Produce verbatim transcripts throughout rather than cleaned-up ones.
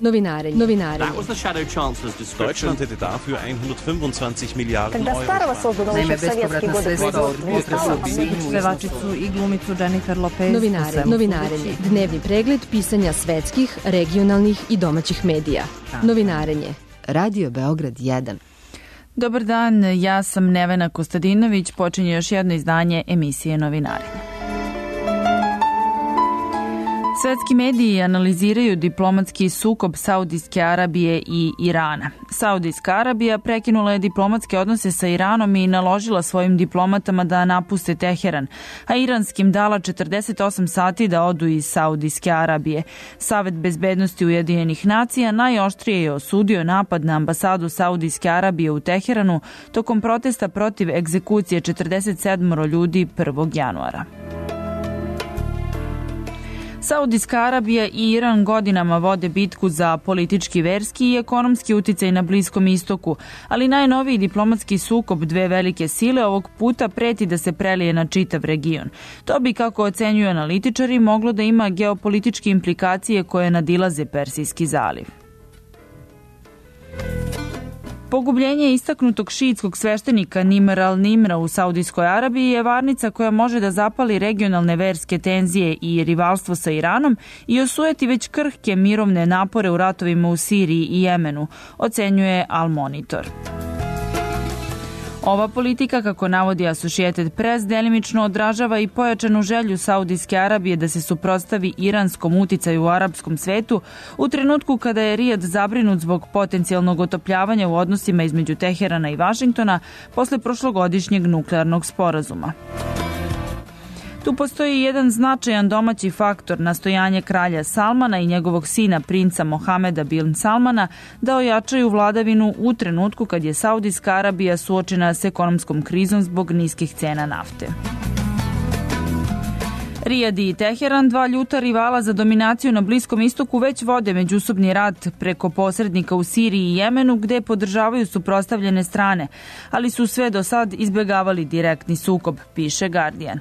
Novinarenje. Novinarenje. Deutschland hätte dafür hundertfünfundzwanzig Milliarden Euro. Naime, bespovratna sredstva od budžeta su pevačicu i glumicu Jennifer Lopez. Novinarenje. Novinarenje. Dnevni pregled pisanja svetskih, regionalnih i domaćih medija. Novinarenje. Radio Beograd jedan. Dobar dan, ja sam Nevena Kostadinović. Počinje još jedno izdanje emisije Novinarenje. Svetski mediji analiziraju diplomatski sukob Saudijske Arabije i Irana. Saudijska Arabija prekinula je diplomatske odnose sa Iranom i naložila svojim diplomatama da napuste Teheran, a iranskim dala četrdeset osam sati da odu iz Saudijske Arabije. Savet bezbednosti Ujedinjenih nacija najoštrije je osudio napad na ambasadu Saudijske Arabije u Teheranu tokom protesta protiv egzekucije četrdeset sedam ljudi prvog januara. Saudijska Arabija i Iran godinama vode bitku za politički, verski i ekonomski uticaj na Bliskom istoku, ali najnoviji diplomatski sukob dve velike sile ovog puta preti da se prelije na čitav region. To bi, kako ocenjuju analitičari, moglo da ima geopolitičke implikacije koje nadilaze Persijski zaliv. Pogubljenje istaknutog šiitskog sveštenika Nimr al-Nimra u Saudijskoj Arabiji je varnica koja može da zapali regionalne verske tenzije i rivalstvo sa Iranom i osujeti već krhke mirovne napore u ratovima u Siriji i Jemenu, ocenjuje Al Monitor. Ova politika, kako navodi Associated Press, delimično odražava i pojačanu želju Saudijske Arabije da se suprotstavi iranskom uticaju u arapskom svetu u trenutku kada je Rijad zabrinut zbog potencijalnog otopljavanja u odnosima između Teherana i Vašingtona posle prošlogodišnjeg nuklearnog sporazuma. Tu postoji jedan značajan domaći faktor, nastojanje kralja Salmana i njegovog sina princa Mohameda bin Salmana da ojačaju vladavinu u trenutku kad je Saudijska Arabija suočena s ekonomskom krizom zbog niskih cena nafte. Rijad i Teheran, dva ljuta rivala za dominaciju na Bliskom istoku, već vode međusobni rat preko posrednika u Siriji i Jemenu, gde podržavaju suprotstavljene strane, ali su sve do sad izbjegavali direktni sukob, piše Guardian.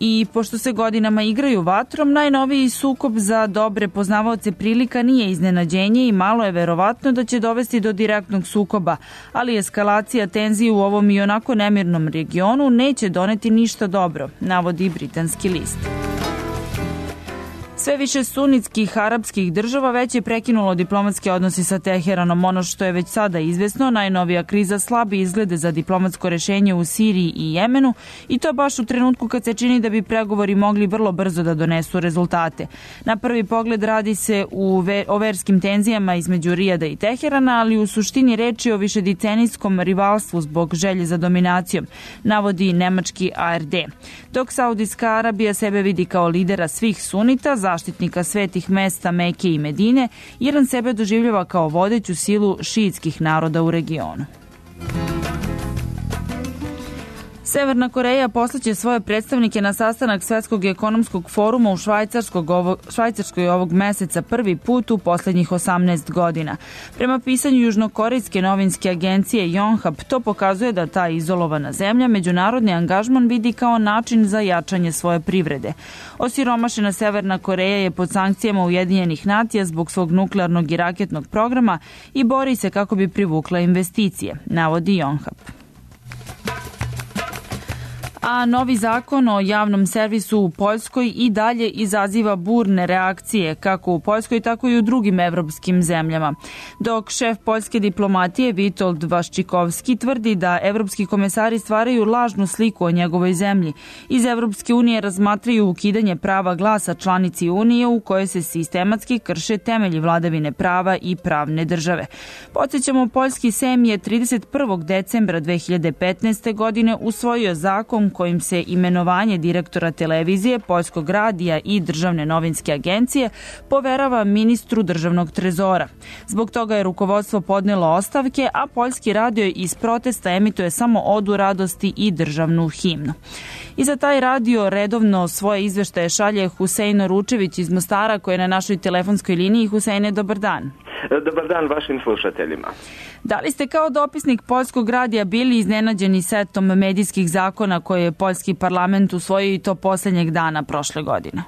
I pošto se godinama igraju vatrom, najnoviji sukob za dobre poznavaoce prilika nije iznenađenje i malo je verovatno da će dovesti do direktnog sukoba, ali eskalacija tenzije u ovom i onako nemirnom regionu neće doneti ništa dobro, navodi britanski list. Sve više sunitskih arapskih država već je prekinulo diplomatske odnose sa Teheranom. Ono što je već sada izvesno, najnovija kriza slabi izglede za diplomatsko rešenje u Siriji i Jemenu i to baš u trenutku kad se čini da bi pregovori mogli vrlo brzo da donesu rezultate. Na prvi pogled radi se u ver, o verskim tenzijama između Rijada i Teherana, ali u suštini reči o višedecenijskom rivalstvu zbog želje za dominacijom, navodi nemački A R D. Dok Saudijska Arabija sebe vidi kao lidera svih sunita, zaštitnika svetih mesta Meke i Medine, Iran sebe doživljava kao vodeću silu šiitskih naroda u regionu. Severna Koreja poslaće svoje predstavnike na sastanak Svetskog ekonomskog foruma u Švajcarskoj ovog meseca prvi put u posljednjih osamnaest godina. Prema pisanju južnokorejske novinske agencije Yonhap, to pokazuje da ta izolovana zemlja međunarodni angažman vidi kao način za jačanje svoje privrede. Osiromašena Severna Koreja je pod sankcijama Ujedinjenih nacija zbog svog nuklearnog i raketnog programa i bori se kako bi privukla investicije, navodi Yonhap. A novi zakon o javnom servisu u Poljskoj i dalje izaziva burne reakcije, kako u Poljskoj, tako i u drugim evropskim zemljama. Dok šef poljske diplomatije Witold Waszczykowski tvrdi da evropski komesari stvaraju lažnu sliku o njegovoj zemlji. Iz Evropske unije razmatraju ukidanje prava glasa članici Unije u kojoj se sistematski krše temelji vladavine prava i pravne države. Podsjećamo, poljski Sejm je trideset prvog decembra dve hiljade petnaeste. godine usvojio zakon kojim se imenovanje direktora televizije, Poljskog radija i državne novinske agencije poverava ministru državnog trezora. Zbog toga je rukovodstvo podnelo ostavke, a Poljski radio iz protesta emituje samo Odu radosti i državnu himnu. I za taj radio redovno svoje izveštaje šalje Husein Ručević iz Mostara, koji je na našoj telefonskoj liniji. Huseine, dobar dan. Dobar dan vašim slušateljima. Da li ste kao dopisnik Poljskog radija bili iznenađeni setom medijskih zakona koje je poljski parlament usvojio i to posljednjeg dana prošle godine?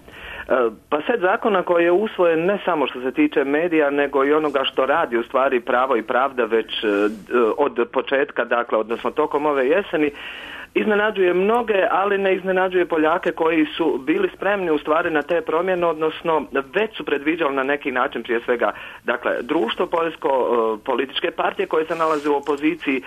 Pa set zakona koji je usvojen ne samo što se tiče medija, nego i onoga što radi u stvari Pravo i pravda već od početka, dakle, odnosno tokom ove jeseni, iznenađuje mnoge, ali ne iznenađuje Poljake koji su bili spremni u stvari na te promjene, odnosno već su predviđali na neki način prije svega, dakle, društvo poljsko, političke partije koje se nalaze u opoziciji,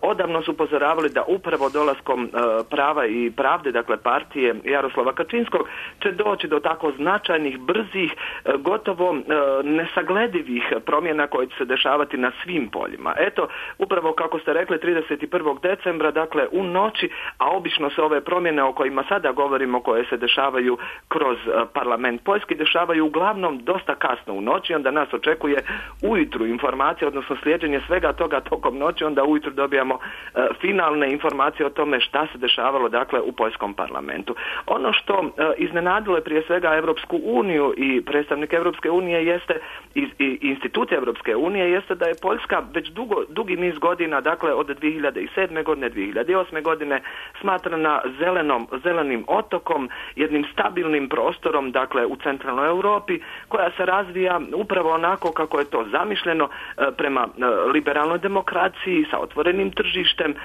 odavno su upozoravali da upravo dolaskom Prava i pravde, dakle partije Jaroslava Kačinskog, će doći do tako značajnih, brzih, gotovo nesagledivih promjena koje će se dešavati na svim poljima. Eto, upravo kako ste rekli, trideset prvog decembra, dakle u noći, a obično se ove promjene o kojima sada govorimo, koje se dešavaju kroz parlament Poljski, dešavaju uglavnom dosta kasno u noći, onda nas očekuje ujutru informacija, odnosno slijeđenje svega toga tokom noći, onda ujutru dobijamo e, finalne informacije o tome šta se dešavalo, dakle, u poljskom parlamentu. Ono što e, iznenadilo je prije svega Europsku uniju i predstavnike Europske unije jeste, i, i institucije Europske unije, jeste da je Poljska već dugo, dugi niz godina, dakle od dvije hiljade sedme godine, dvije hiljade osme godine, smatrana zelenom, zelenim otokom, jednim stabilnim prostorom, dakle u centralnoj Europi, koja se razvija upravo onako kako je to zamišljeno, prema liberalnoj demokraciji, sa otvorenim tržištem,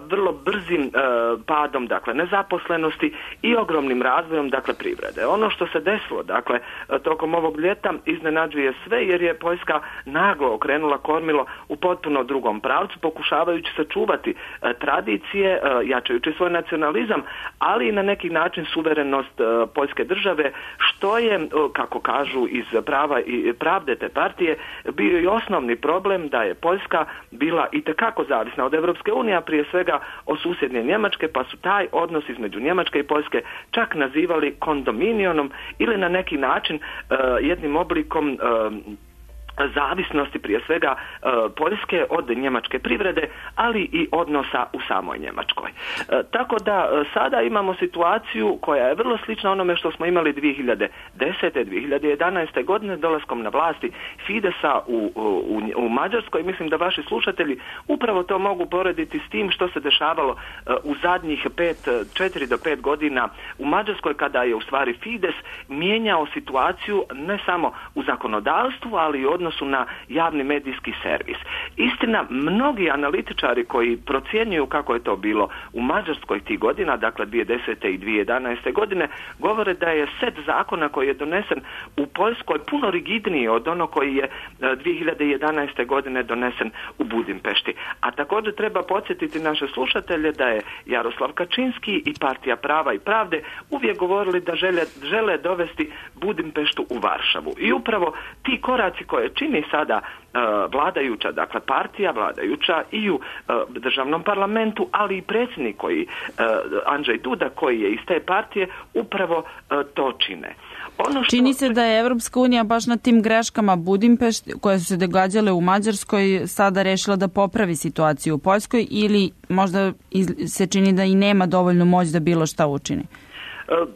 vrlo brzim padom, dakle, nezaposlenosti i ogromnim razvojem, dakle, privrede. Ono što se desilo, dakle, tokom ovog ljeta iznenađuje sve, jer je Poljska naglo okrenula kormilo u potpuno drugom pravcu, pokušavajući sačuvati tradicije, jačajući svoj nacionalizam, ali i na neki način suverenost Poljske države, što je, kako kažu iz Prava i pravde te partije, bio i osnovni problem da je Poljska bila itekako zavisna od Europske unije, a prije svega od susjedne Njemačke, pa su taj odnos između Njemačke i Poljske čak nazivali kondominionom ili na neki način uh, jednim oblikom uh, zavisnosti prije svega e, Poljske od njemačke privrede, ali i odnosa u samoj Njemačkoj. E, tako da e, sada imamo situaciju koja je vrlo slična onome što smo imali dvije hiljade desete. dvije hiljade jedanaeste. godine dolaskom na vlasti Fidesa u, u, u Mađarskoj. Mislim da vaši slušatelji upravo to mogu porediti s tim što se dešavalo e, u zadnjih pet, četiri do pet godina u Mađarskoj, kada je u stvari Fides mijenjao situaciju ne samo u zakonodavstvu, ali i od odnosu na javni medijski servis. Istina, mnogi analitičari koji procjenjuju kako je to bilo u Mađarskoj tih godina, dakle dvije hiljade desete i dvije hiljade jedanaeste. godine, govore da je set zakona koji je donesen u Poljskoj puno rigidniji od ono koji je dvije hiljade jedanaeste. godine donesen u Budimpešti. A također treba podsjetiti naše slušatelje da je Jaroslav Kačinski i partija Prava i pravde uvijek govorili da žele, žele dovesti Budimpeštu u Varšavu. I upravo ti koraci koje čini sada uh, vladajuća, dakle partija vladajuća i u uh, državnom parlamentu, ali i predsjednik koji, uh, Andrzej Duda, koji je iz te partije, upravo uh, to čine. Ono što... Čini se da je Evropska unija baš na tim greškama Budimpešti, koje su se događale u Mađarskoj, sada rešila da popravi situaciju u Poljskoj, ili možda se čini da i nema dovoljnu moć da bilo šta učini? Uh,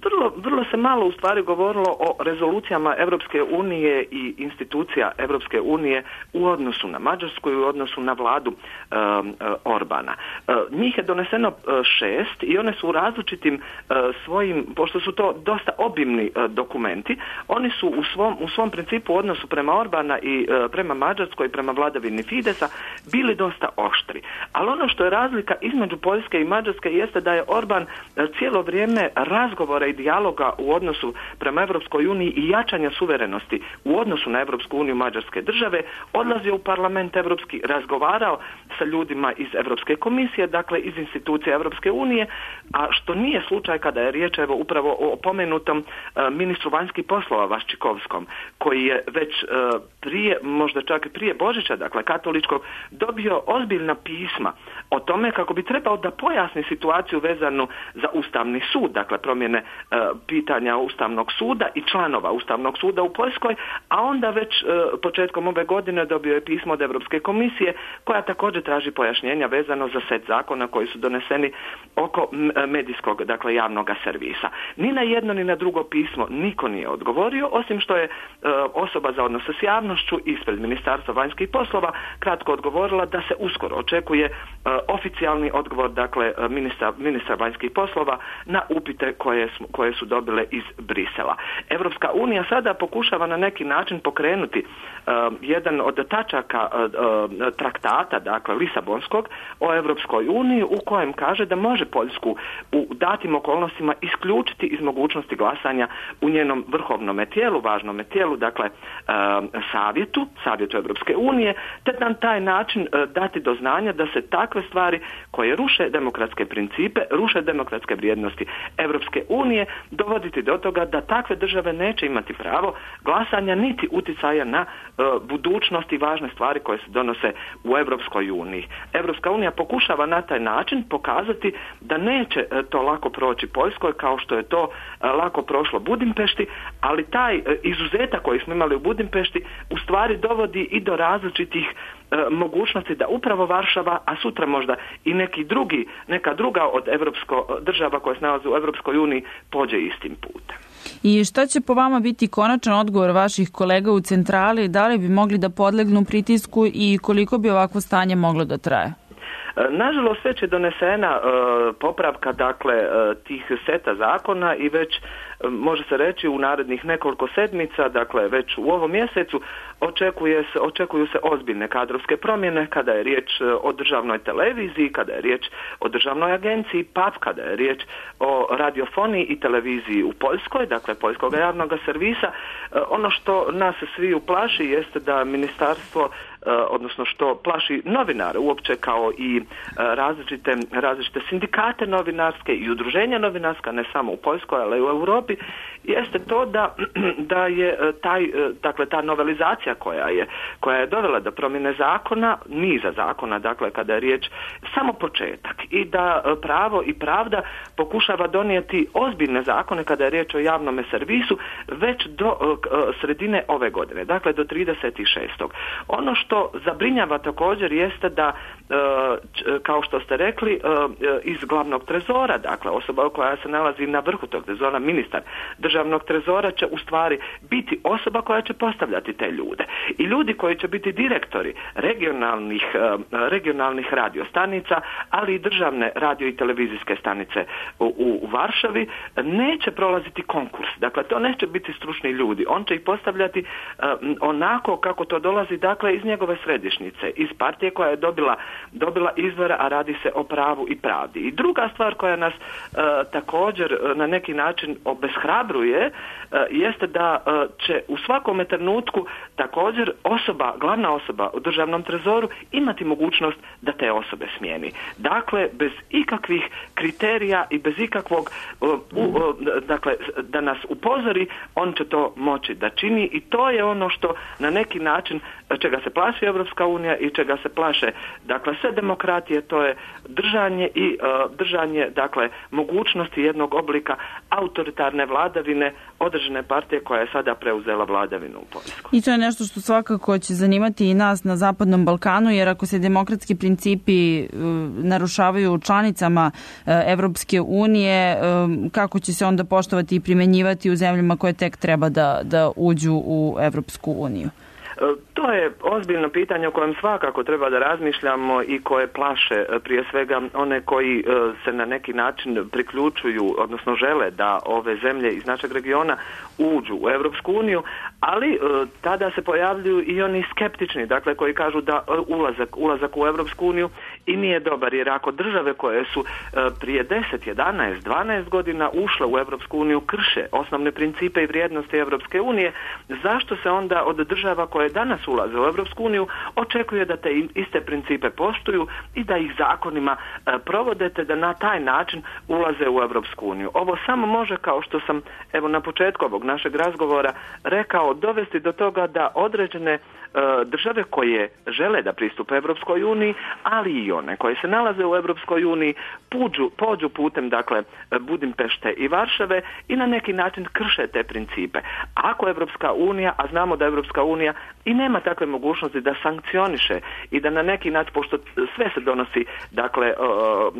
Vrlo, vrlo se malo u stvari govorilo o rezolucijama Europske unije i institucija Europske unije u odnosu na Mađarsku i u odnosu na vladu um, Orbana. Uh, njih je doneseno uh, šest i one su u različitim uh, svojim, pošto su to dosta obimni uh, dokumenti, oni su u svom, u svom principu u odnosu prema Orbana i uh, prema Mađarskoj i prema vladavini Fidesa bili dosta oštri. Ali ono što je razlika između Poljske i Mađarske jeste da je Orban uh, cijelo vrijeme razgovora i dijaloga u odnosu prema Europskoj uniji i jačanja suverenosti u odnosu na Europsku uniju Mađarske države odlazio u parlament europski, razgovarao sa ljudima iz Europske komisije, dakle iz institucija Europske unije, a što nije slučaj kada je riječ evo upravo o pomenutom uh, ministru vanjskih poslova Vaščikovskom, koji je već uh, prije, možda čak i prije Božića, dakle katoličkog, dobio ozbiljna pisma o tome kako bi trebao da pojasni situaciju vezanu za Ustavni sud, dakle promjene pitanja Ustavnog suda i članova Ustavnog suda u Poljskoj, a onda već početkom ove godine dobio je pismo od Europske komisije koja također traži pojašnjenja vezano za set zakona koji su doneseni oko medijskog, dakle javnog servisa. Ni na jedno ni na drugo pismo niko nije odgovorio, osim što je osoba za odnose s javnošću ispred Ministarstva vanjskih poslova kratko odgovorila da se uskoro očekuje oficijalni odgovor, dakle ministra, ministra vanjskih poslova na upite koje smo koje su dobile iz Brisela. Evropska unija sada pokušava na neki način pokrenuti uh, jedan od tačaka uh, uh, traktata, dakle Lisabonskog, o Evropskoj uniji, u kojem kaže da može Poljsku u datim okolnostima isključiti iz mogućnosti glasanja u njenom vrhovnom tijelu, važnom tijelu, dakle uh, savjetu, savjetu Evropske unije, te na taj način uh, dati do znanja da se takve stvari koje ruše demokratske principe, ruše demokratske vrijednosti Evropske unije, dovoditi do toga da takve države neće imati pravo glasanja niti uticaja na uh, budućnost i važne stvari koje se donose u Evropskoj uniji. Evropska unija pokušava na taj način pokazati da neće uh, to lako proći Poljskoj kao što je to uh, lako prošlo Budimpešti, ali taj uh, izuzetak koji smo imali u Budimpešti u stvari dovodi i do različitih mogućnosti da upravo Varšava, a sutra možda i neki drugi, neka druga od evropsko, država koja se nalaze u Evropskoj uniji pođe istim putem. I šta će po vama biti konačan odgovor vaših kolega u centrali? Da li bi mogli da podlegnu pritisku i koliko bi ovakvo stanje moglo da traje? Nažalost, već je donesena uh, popravka dakle uh, tih seta zakona i već uh, može se reći u narednih nekoliko sedmica, dakle već u ovom mjesecu očekuje se, očekuju se ozbiljne kadrovske promjene kada je riječ uh, o državnoj televiziji, kada je riječ o državnoj agenciji P A P, kada je riječ o radiofoniji i televiziji u Poljskoj, dakle Poljskog javnog servisa. Uh, ono što nas svi uplaši jeste da ministarstvo odnosno što plaši novinare uopće kao i različite, različite sindikate novinarske i udruženja novinarska, ne samo u Poljskoj, ali i u Europi, jeste to da, da je taj, dakle, ta novelizacija koja je, koja je dovela do promjene zakona, niza zakona, dakle kada je riječ samo početak i da pravo i pravda pokušava donijeti ozbiljne zakone kada je riječ o javnom servisu već do sredine ove godine, dakle do trideset šestog Ono što zabrinjava također jeste da, kao što ste rekli, iz glavnog trezora, dakle osoba koja se nalazi na vrhu tog trezora, ministar državnog trezora će u stvari biti osoba koja će postavljati te ljude. I ljudi koji će biti direktori regionalnih, regionalnih radiostanica, ali i državne radio i televizijske stanice u, u Varšavi, neće prolaziti konkurs. Dakle, to neće biti stručni ljudi. On će ih postavljati onako kako to dolazi, dakle, iz njegove središnjice, iz partije koja je dobila, dobila izbore, a radi se o pravu i pravdi. I druga stvar koja nas e, također na neki način obeshrabruje e, jeste da e, će u svakome trenutku također osoba, glavna osoba u državnom trezoru imati mogućnost da te osobe smijeni. Dakle, bez ikakvih kriterija i bez ikakvog e, u, e, dakle, da nas upozori, on će to moći da čini i to je ono što na neki način čega se plaši Evropska unija i čega se plaše dakle sve demokratije, to je držanje i uh, držanje dakle mogućnosti jednog oblika autoritarne vladavine određene partije koja je sada preuzela vladavinu u Poljskoj. I to je nešto što svakako će zanimati i nas na Zapadnom Balkanu, jer ako se demokratski principi uh, narušavaju članicama uh, Evropske unije, uh, kako će se onda poštovati i primenjivati u zemljama koje tek treba da, da uđu u Evropsku uniju? To je ozbiljno pitanje o kojem svakako treba da razmišljamo i koje plaše prije svega one koji se na neki način priključuju, odnosno žele da ove zemlje iz našeg regiona uđu u Evropsku uniju, ali tada se pojavljuju i oni skeptični, dakle koji kažu da ulazak, ulazak u Evropsku uniju i nije dobar, jer ako države koje su prije deset, jedanaest, dvanaest godina ušle u Evropsku uniju krše osnovne principe i vrijednosti Evropske unije, zašto se onda od država koje danas ulaze u Evropsku uniju očekuje da te iste principe poštuju i da ih zakonima e, provodete, da na taj način ulaze u Evropsku uniju. Ovo samo može, kao što sam evo na početku ovog našeg razgovora rekao, dovesti do toga da određene e, države koje žele da pristupe Evropskoj uniji, ali i one koje se nalaze u Evropskoj uniji puđu, pođu putem dakle Budimpešte i Varšave i na neki način krše te principe. Ako Evropska unija, a znamo da Evropska unija i nema takve mogućnosti da sankcioniše i da na neki način, pošto sve se donosi dakle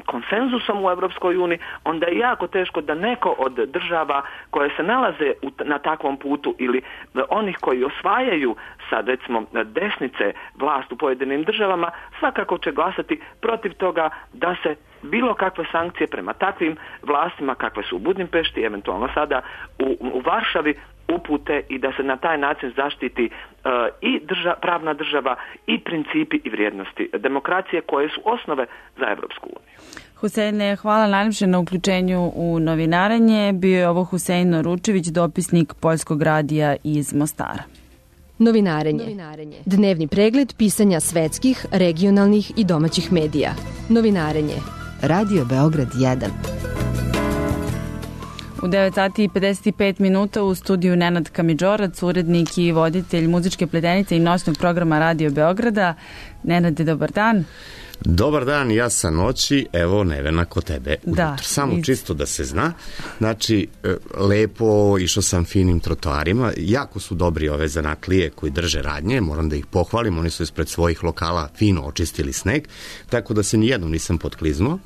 konsenzusom u Evropskoj uniji, onda je jako teško da neko od država koje se nalaze na takvom putu ili onih koji osvajaju sad recimo desnice vlast u pojedinim državama, svakako će glasati protiv toga da se bilo kakve sankcije prema takvim vlastima kakve su u Budimpešti, eventualno sada u, u Varšavi, upute i da se na taj način zaštiti uh, i drža, pravna država i principi i vrijednosti demokracije koje su osnove za Evropsku uniju. Huseine, hvala najljepše na uključenju u novinarenje. Bio je ovo Husein Noručević, dopisnik Poljskog radija iz Mostara. Novinarenje. Novinarenje. Dnevni pregled pisanja svetskih, regionalnih i domaćih medija. Novinarenje. Radio Beograd jedan. U devet sati i pedeset pet minuta u studiju Nenad Kamidžorac, urednik i voditelj muzičke pledenice i noćnog programa Radio Beograda. Nenade, dobar dan. Dobar dan, ja sa noći, evo Nevena kod tebe ujutro. Da, Samo iz... čisto da se zna. Znači, lepo, išao sam finim trotoarima, jako su dobri ove zanatlije koji drže radnje, moram da ih pohvalim, oni su ispred svojih lokala fino očistili sneg, tako da se nijednom nisam potkliznuo.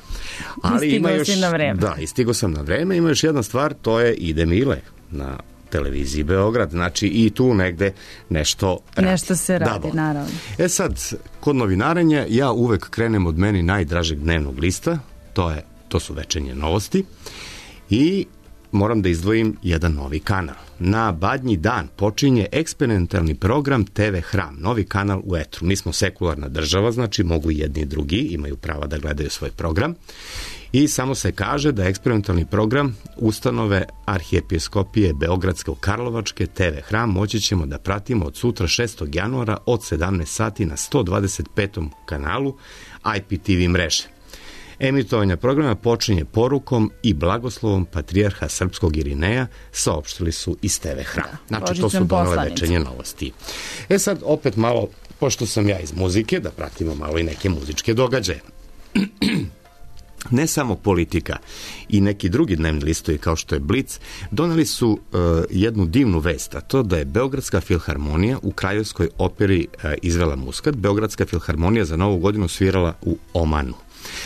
Ali I ima još, si na vreme. Da, i stigo sam na vreme, ima još jedna stvar, to je Ide Mile na televiziji Beograd, znači i tu negde nešto radi. Nešto se radi, da, naravno. E sad, kod novinarenja ja uvek krenem od meni najdražeg dnevnog lista, to, je, to su Večernje novosti i moram da izdvojim jedan novi kanal. Na Badnji dan počinje eksperimentalni program T V Hram, novi kanal u etru. Mi smo sekularna država, znači mogu jedni i drugi, imaju prava da gledaju svoj program. I samo se kaže da eksperimentalni program ustanove Arhijepiskopije Beogradsko-Karlovačke T V Hram moći ćemo da pratimo od sutra šestog januara od sedamnaest sati na sto dvadeset petom kanalu I P T V mreže. Emitovanje programa počinje porukom i blagoslovom patrijarha srpskog Irineja, saopštili su iz T V Hram. Znači, to su donele Večernje novosti. E sad, opet malo, pošto sam ja iz muzike, da pratimo malo i neke muzičke događaje. Ne samo Politika i neki drugi dnevni listovi kao što je Blic doneli su uh, jednu divnu vest, a to da je Beogradska filharmonija u Kraljevskoj operi uh, izvela Muskat. Beogradska filharmonija za Novu godinu svirala u Omanu.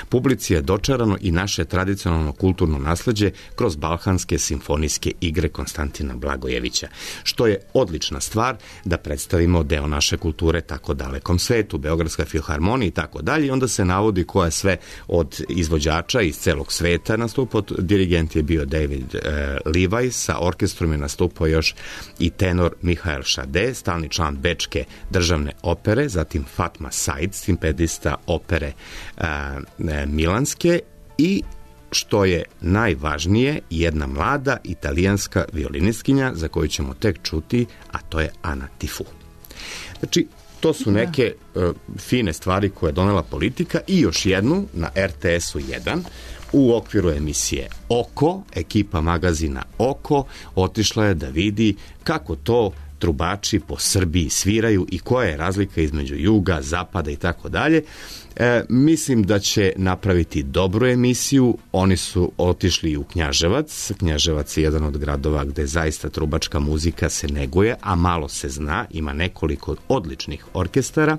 Publici je dočarano i naše tradicionalno kulturno nasleđe kroz balkanske simfonijske igre Konstantina Blagojevića, što je odlična stvar da predstavimo deo naše kulture tako dalekom svetu, Beogradska filharmonija i tako dalje. I onda se navodi koja sve od izvođača iz celog sveta nastupa. Dirigent je bio David e, Levi, sa orkestrom je nastupao još i tenor Mihael Šade, stalni član Bečke državne opere, zatim Fatma Said, simpedista opere e, Milanske i, što je najvažnije, jedna mlada italijanska violinistkinja za koju ćemo tek čuti, a to je Ana Tifu. Znači, to su neke uh, fine stvari koje je donela Politika i još jednu na R T S-u jedan u okviru emisije Oko, ekipa magazina Oko otišla je da vidi kako to trubači po Srbiji sviraju i koja je razlika između juga, zapada i tako dalje. E, mislim da će napraviti dobru emisiju. Oni su otišli u Knjaževac. Knjaževac je jedan od gradova gde zaista trubačka muzika se neguje, a malo se zna. Ima nekoliko odličnih orkestara.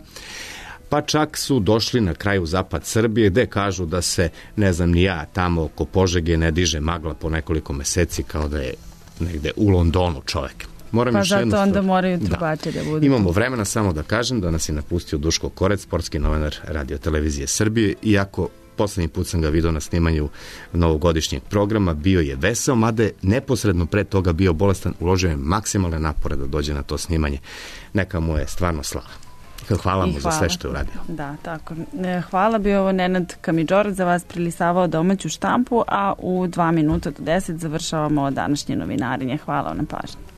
Pa čak su došli na kraju zapad Srbije gde kažu da se, ne znam ni ja, tamo oko Požege ne diže magla po nekoliko meseci kao da je negde u Londonu čovek. Moram pa još zato onda moraju trubače da, da budu. Imamo vremena samo da kažem da nas je napustio Duško Korec, sportski novinar Radio Televizije Srbije, iako poslednji put sam ga vidio na snimanju novogodišnjeg programa, bio je veseo, mada je neposredno pre toga bio bolestan, uložio je maksimalne napore da dođe na to snimanje. Neka mu je stvarno slava. Hvala mu hvala. Za sve što je uradio. Da, tako. Hvala, bio ovo Nenad Kamidžorac, za vas prilisavao domaću štampu, a u dva minuta do deset završavamo današnje novinarenje. Hvala vam na pažnji.